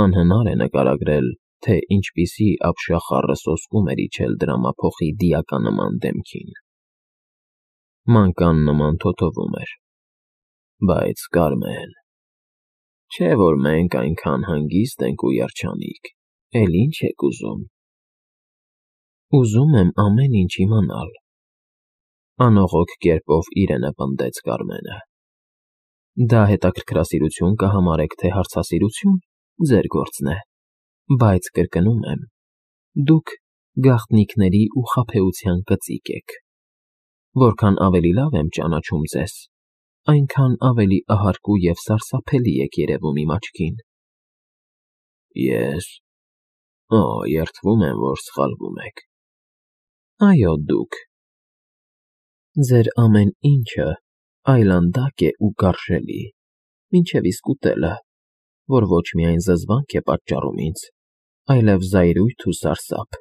Անհնար է նկարագրել, թե ինչպիսի ապշախառը սոսկում էր իջել դրամափոխի դիականնման դեմքին։ Մանկան նման թոթովում էր։ Բայց Կարմեն, չէ՞ որ մենք այնքան հանգիստ ենք ու երջանիկ, էլ ինչ եք ուզում։ Ուզում եմ ամեն ինչ իմանալ, անողոք կերպով իրենը պնդեց Կարմենը։ Դա հետաքրքրասիրություն կհամարեք, թե հարցասիրություն, ձեր գործն է, բայց կրկնում եմ, դուք գաղտնիքների ու խաբեության կծիկ եք։ Որքան ավելի լավ եմ ճանաչում ձեզ, այնքան ավելի ահարկու և սարսափելի եք երևում իմ աչքին։ Ես… երդվում եմ, որ սխալվում եք։ Այո, դուք։ Ձեր ամեն ինչը այլանդակ է ու գարշելի, մինչև իսկ ուտելը, որ ոչ միայն զզվանք է պատճառում ինձ, այլև զայրույթ ու սարսափ։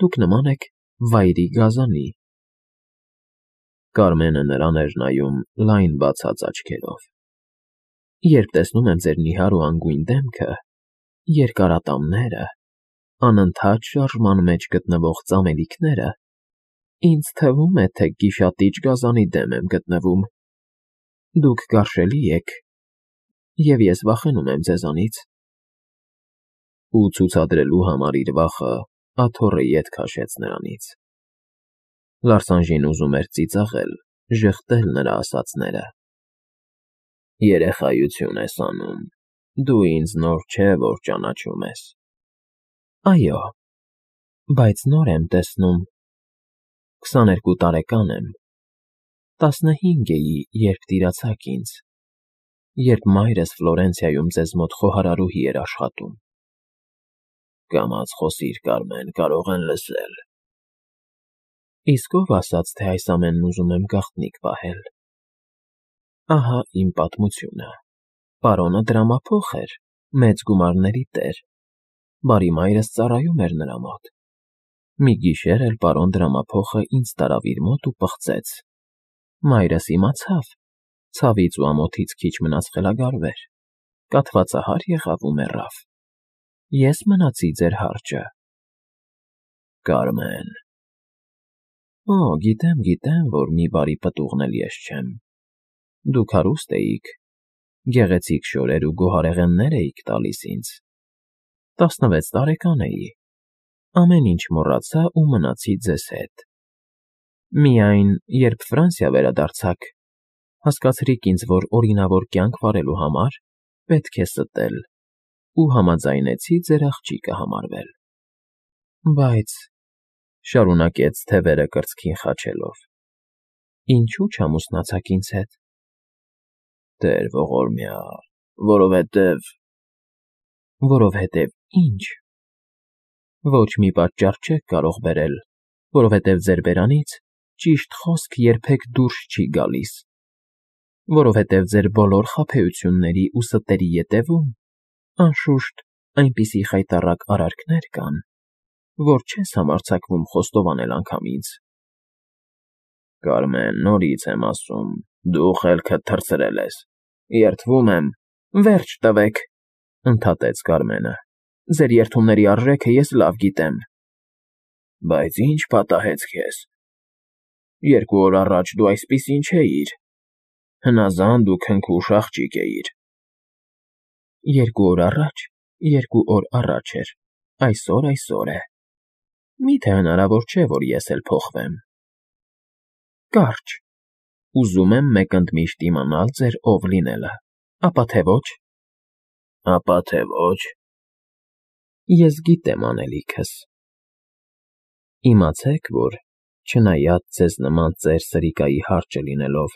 Դուք նման եք վայրի գազանի։ Կարմենը նրան էր նայում լայն բացած աչքերով։ Երբ տեսնում եմ ձեր նիհար ու անգույն դեմքը, երկարատամները, անընդհատ շարժման մեջ գտնվող ծամելիքները, ինձ թվում է, թե գիշատիչ գազանի դեմ եմ գտնվում։ Դուք գարշելի եք, և ես վախենում եմ ձեզանից։ Ու ցուցադրելու համար իր վախը աթոռը ետ քաշեց նրանից։ Լարսանժին ուզում էր ծիծաղել, ժխտել նրա ասածները։ Երեխայություն ես անում, դու ինձ նոր չէ, որ ճանաչում ես։ Այո, բայց նոր եմ տեսնում։ 22 տարեկան եմ, 15 էի, երբ տիրացաք ինձ, երբ մայրս Ֆլորենցիայում ձեզ մոտ խոհարարուհի էր աշխատում։ Կամաց խոսիր, Կարմեն, կարող են լսել։ Իսկ ով ասաց, թե այս ամենն ուզում եմ գաղտնիք պահել։ Ահա իմ պատմությունը։ Պարոնը դրամափոխ էր, մեծ գումարների տեր։ Բարի մայրս ծառայում էր նրա մոտ։ Մի գիշեր էլ պարոն դրամափոխը ինձ տարավ իր մոտ ու պղծեց։ Մայրս իմացավ, ցավից ու ամոթից քիչ մնաց խելագարվեր, կաթվածահար եղավ ու մեռավ։ Ես մնացի ձեր հարճը։ Կարմեն… Գիտեմ, որ մի բարի պտուղն էլ ես չեմ։ Դուք հարուստ էիք, գեղեցիկ շորեր ու գոհարեղեններ էիք տալիս ինձ։ 16 տարեկան էի, ամեն ինչ մոռացա ու մնացի ձեզ հետ։ Միայն, երբ Ֆրանսիա վերադարձաք, հասկացրիք ինձ, որ օրինավոր կյանք վարելու համար պետք է ստել, ու համաձայնեցի ձեր աղջիկը համարվել։ Բայց, շարունակեց թևերը կրծքին խաչելով, ինչու չամուսնացաք ինձ հետ։ Տեր ողորմյա, որովհետև… Որովհետև ի՞նչ։ Ոչ մի պատճառ չեք կարող բերել, որովհետև ձեր բերանից ճիշտ խոսք երբեք դուրս չի գալիս, որովհետև ձեր բոլոր խաբեությունների ու ստերի ետևում, անշուշտ, այնպիսի խայտառակ արարքներ կան, որ չես համարձակվում խոստովանել անգամ ինձ։ Կարմեն, նորից եմ ասում, դու խելքդ թռցրել ես, երդվում եմ… Վերջ տվեք, ընդհատեց Կարմենը, ձեր երդումների արժեքը ես լավ գիտեմ։ Բայց ի՞նչ պատահեց քեզ։ 2 օր առաջ դու այսպիսին չէիր, հնազանդ ու քնքուշ աղջիկ էիր։ 2 օր առաջ, 2 օր առաջ էր, այսօր է։ Մի՞թե հնարավոր չէ, որ ես էլ փոխվեմ։ Կարճ, ուզում եմ մեկընդմիշտ իմանալ ձեր ով լինելը, ապա թե ոչ։ Ապա թե ոչ։ Ես գիտեմ անելիքս։ Իմացեք, որ, չնայած ձեզ նման ծեր սրիկայի հարճը լինելով,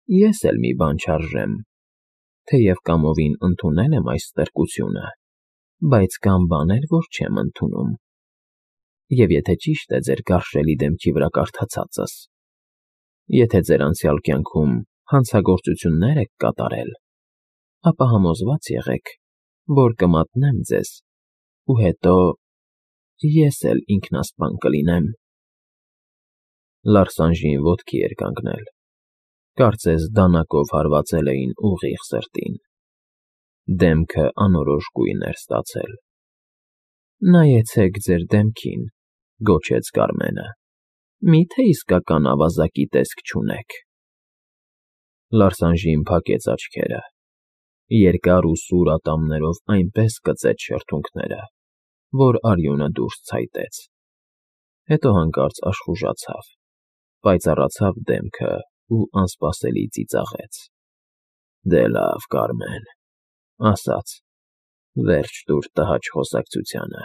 ես էլ մի բան չարժեմ, թեև կամովին ընդունել եմ այս ստրկությունը, բայց կան բաներ, որ չեմ ընդունում։ Եվ եթե ճիշտ է ձեր գարշելի դեմքի վրա կարդացածս, եթե ձեր անցյալ կյանքում հանցագործություններ եք կատարել, ապա համոզված եղեք, որ կմատնեմ ձեզ, ու հետո ես էլ ինքնասպան կլինեմ։ Լարսանժին ոտքի էր կանգնել, կարծես դանակով հարվածել էին ուղիղ սրտին։ Դեմքը անորոշ գույն էր ստացել։ Նայեցեք ձեր դեմքին, գոչեց Կարմենը, միթե իսկական ավազակի տեսք չունեք։ Լարսանժին փակեց աչքերը, երկար ու սուր ատամներով այնպես կծեց շրթունքները, որ արյունը դուրս ցայտեց, հետո հանկարծ աշխուժացավ, պայծառացավ դեմքը ու անսպասելի ծիծաղեց։ Դե լավ, Կարմեն, ասաց, վերջ տուր տհաճ խոսակցությանը։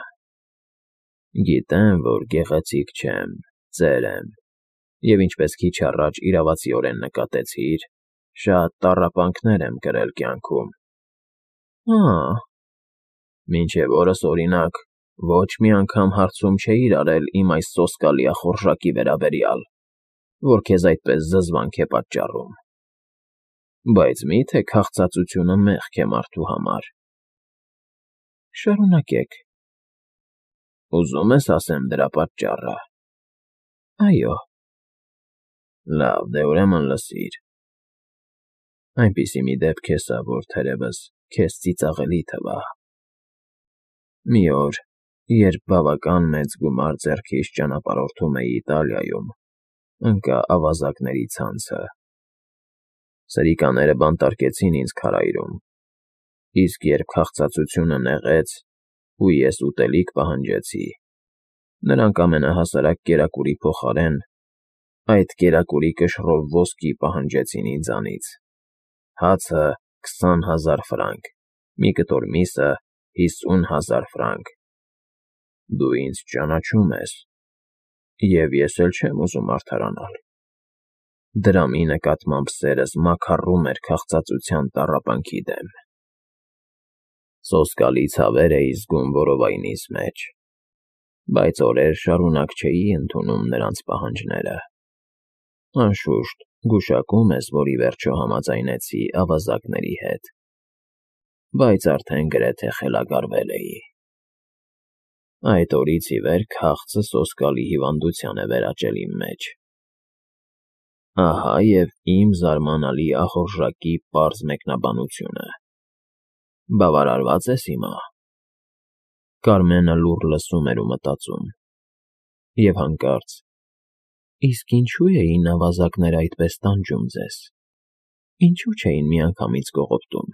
Գիտեմ, որ գեղեցիկ չեմ, ծեր եմ, և ինչպես քիչ առաջ իրավացիորեն նկատեցիր, շատ տառապանքներ եմ կրել կյանքում։ Հա, մինչև օրս, օրինակ, ոչ մի անգամ հարցում չէիր արել իմ այս սոսկալի ախորժակի վերաբերյալ, որ քեզ այդպես զզվանք է պատճառում։ Բայց մի՞թե քաղցածությունը մեղք է մարդու համար։ Շարունակեք։ Ուզում ես ասեմ դրա պատճառը։ Այո։ Լավ, դե ուրեմն լսիր։ Այնպիսի մի դեպք է սա, որ թերևս քեզ ծիծաղելի թվա։ Մի օր, երբ բավական մեծ գումար ձեռքիս ճանապարհորդում էի Իտալիայում, ընկա ավազակների ցանցը։ Սրիկաները բանտարկեցին ինձ քարայրում, իսկ երբ քաղցածությունը նեղեց, ու ես ուտելիք պահանջեցի, նրանք ամենահասարակ կերակուրի փոխարեն այդ կերակուրի կշռով ոսկի պահանջեցին ինձանից։ Հացը 20,000 ֆրանկ, մի կտոր միսը 50,000 ֆրանկ։ Դու ինձ ճանաչում ես, և ես էլ չեմ ուզում արդարանալ։ Դրամի նկատմամբ սերս մաքառում էր քաղցածության տառապանքի դեմ։ Սոսկալի ցավեր էի զգում որովայնիս մեջ, բայց օրեր շարունակ չէի ընդունում նրանց պահանջները։ Անշուշտ, գուշակում ես, որ ի վերջո համաձայնեցի ավազակների հետ, բայց արդեն գրեթե խելագարվել էի։ Այդ օրից ի վեր քաղցը սոսկալի հիվանդության է վերաճել իմ մեջ։ Ահա և իմ զարմանալի ախորժակի պարզ մեկնաբանությունը։ Բավարարվա՞ծ ես հիմա։ Կարմենը լուռ լսում էր ու մտածում։ Եվ հանկարծ. Իսկ ինչու էին ավազակները այդպես տանջում ձեզ։ Ինչու չէին միանգամից կողոպտում։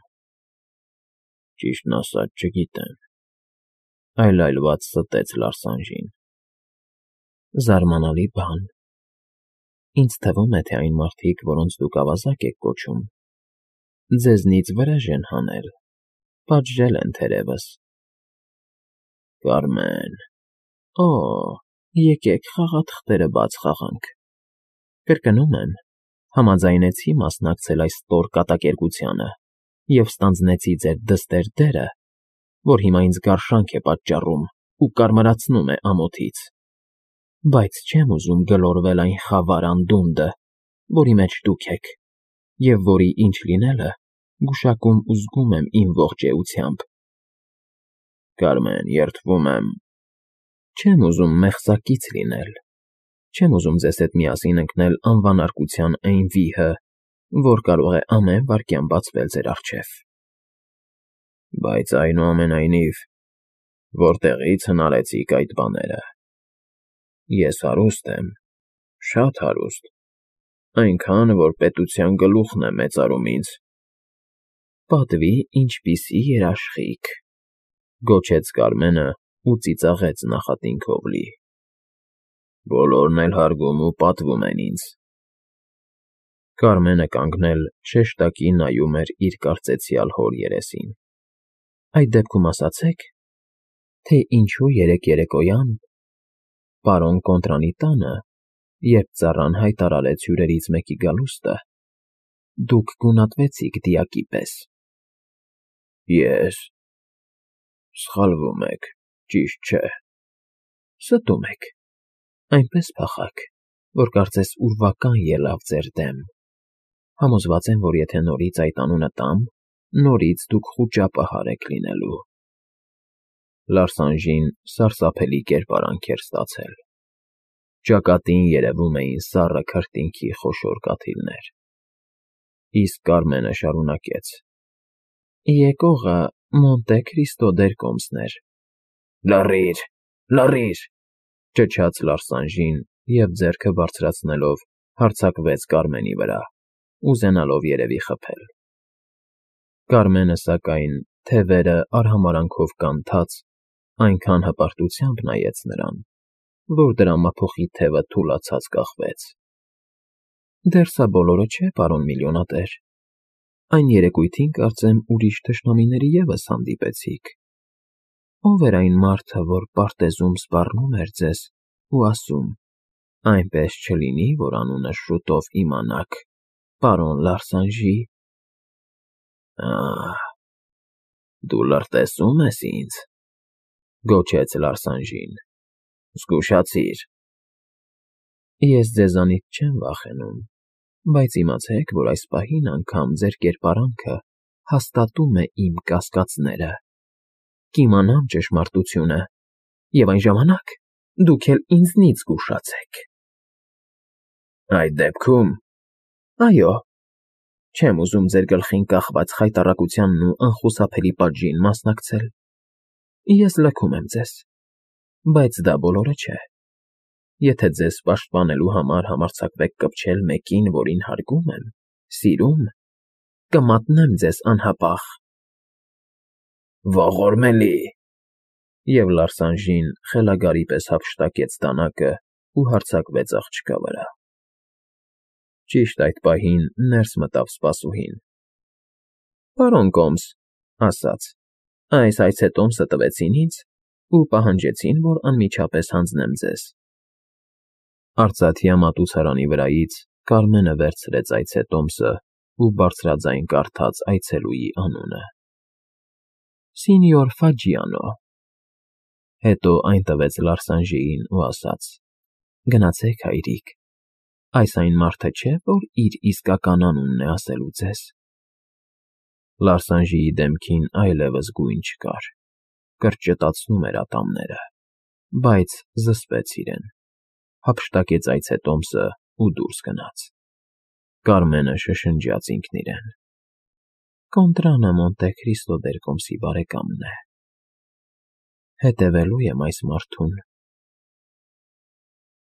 Ճիշտն ասած, չգիտեմ, այլայլված ստեց Լարսանժին։ Զարմանալի բան։ Ինձ թվում է, թե այն մարդիկ, որոնց դուք ավազակ եք կոչում, ձեզնից վրեժ են հանել, պատժել են թերևս։ Կարմեն, օ, եկեք խաղաթղթերը բաց խաղանք։ Կրկնում եմ, համաձայնեցի մասնակցել այս ստոր կատակերգությանը և ստանձնեցի ձեր դստեր դերը, որ հիմա ինձ գարշանք է պատճառում ու կարմրացնում է ամոթից, բայց չեմ ուզում գլորվել այն խավար անդունդը, որի մեջ դուք եք, և որի ինչ լինելը գուշակում ու զգում եմ իմ ողջ էությամբ։ Կարմեն, երդվում եմ։ Չեմ ուզում մեղսակից լինել, չեմ ուզում ձեզ հետ միասին ընկնել անվանարկության այն վիհը, որ կարող է ամեն վայրկյան բացվել ձեր առջև։ Բայց այնուամենայնիվ, որտեղի՞ց հնարեցիք այդ բաները։ Ես հարուստ եմ, շատ հարուստ, այնքան, որ պետության գլուխն է մեծարում ինձ։ Պատվի ինչպիսի երաշխիք, գոչեց Կարմենը ու ծիծաղեց նախատինքով լի։ Բոլորն էլ հարգում ու պատվում են ինձ։ Կարմենը կանգնել շեշտակի նայում էր իր կարծեցյալ հոր երեսին։ Այդ դեպքում ասացեք, թե ինչու երեկ երեկոյան, պարոն Կոնտրանի տանը, երբ ծառան հայտարարեց հյուրերից մեկի գալուստը, դուք գունատվեցիք դիակի պես։ Ես… Սխալվում եք, ճիշտ չէ։ Ստում եք։ Այնպես փախաք, որ կարծես ուրվական ելավ ձեր դեմ։ Համոզված եմ, որ եթե նորից այդ անունը տամ, նորից դուք խուճապահար եք լինելու։ Լարսանժին սարսափելի կերպարանք էր ստացել։ Ճակատին երևում էին սառը քրտինքի խոշոր կաթիլներ։ Իսկ Կարմենը շարունակեց. Եկողը Մոնտե Քրիստո դեր կոմսն էր։ Լռիր, լռիր, ճչաց Լարսանժին և ձեռքը բարձրացնելով հարձակվեց Կարմենի վրա, ուզենալով երևի խփել։ Կարմենը, սակայն, թևերը արհամարանքով կանթած, այնքան հպարտությամբ նայեց նրան, որ դրա մափոխի թևը թուլացած կախվեց։ Դեռ սա բոլորը չէ, պարոն միլիոնատեր, այն երեկույթին, կարծեմ, ուրիշ թշնամիների ևս հանդիպեցիք։ Ո՞վ էր այն մարդը, որ պարտեզում սպառնում էր ձեզ ու ասում. «Այնպես չլինի, որ անունս շուտով իմանաք, պարոն Լարսանժի»։ Ահ, դու լրտեսում ես ինձ, գոչեց Լարսանժին, զգուշացիր։ Ես ձեզանից չեմ վախենում, բայց իմացեք, որ այս պահին անգամ ձեր կերպարանքը հաստատում է իմ կասկածները։ Կիմանամ ճշմարտությունը, և այն ժամանակ դուք էլ ինձնից զգուշացեք։ Այդ դեպքում… Այո, չեմ ուզում ձեր գլխին կախված խայտառակությանն ու անխուսափելի պատժին մասնակցել։ Ես լքում եմ ձեզ, բայց դա բոլորը չէ։ Եթե ձեզ պաշտպանելու համար համարձակվեք կպչել մեկին, որին հարգում եմ, սիրում, կմատնեմ ձեզ անհապաղ։ Ողորմելի… Եվ Լարսանժին խելագարի պես հափշտակեց դանակը ու հարձակվեց աղջկա վրա։ Ճիշտ այդ պահին ներս մտավ սպասուհին։ Պարոն կոմս, ասաց, այս այցետոմսը տվեցին ինձ ու պահանջեցին, որ անմիջապես հանձնեմ ձեզ։ Արծաթյա մատուցարանի վրայից Կարմենը վերցրեց այցետոմսը ու բարձրաձայն կարդաց այցելուի անունը. Սինյոր Ֆաջիանո։ Հետո այն տվեց Լարսանժիին ու ասաց. Գնացեք, հայրիկ, այս այն մարդը չէ, որ իր իսկական անունն է ասելու ձեզ։ Լարսանժիի դեմքին այլևս գույն չկար, կրճտացնում էր ատամները, բայց զսպեց իրեն, հափշտակեց այցետոմսը ու դուրս գնաց։ Կարմենը շշնջաց ինքն իրեն. Կոնտրանը Մոնտե Քրիստո դեր կոմսի բարեկամն է։ Հետևելու եմ այս մարդուն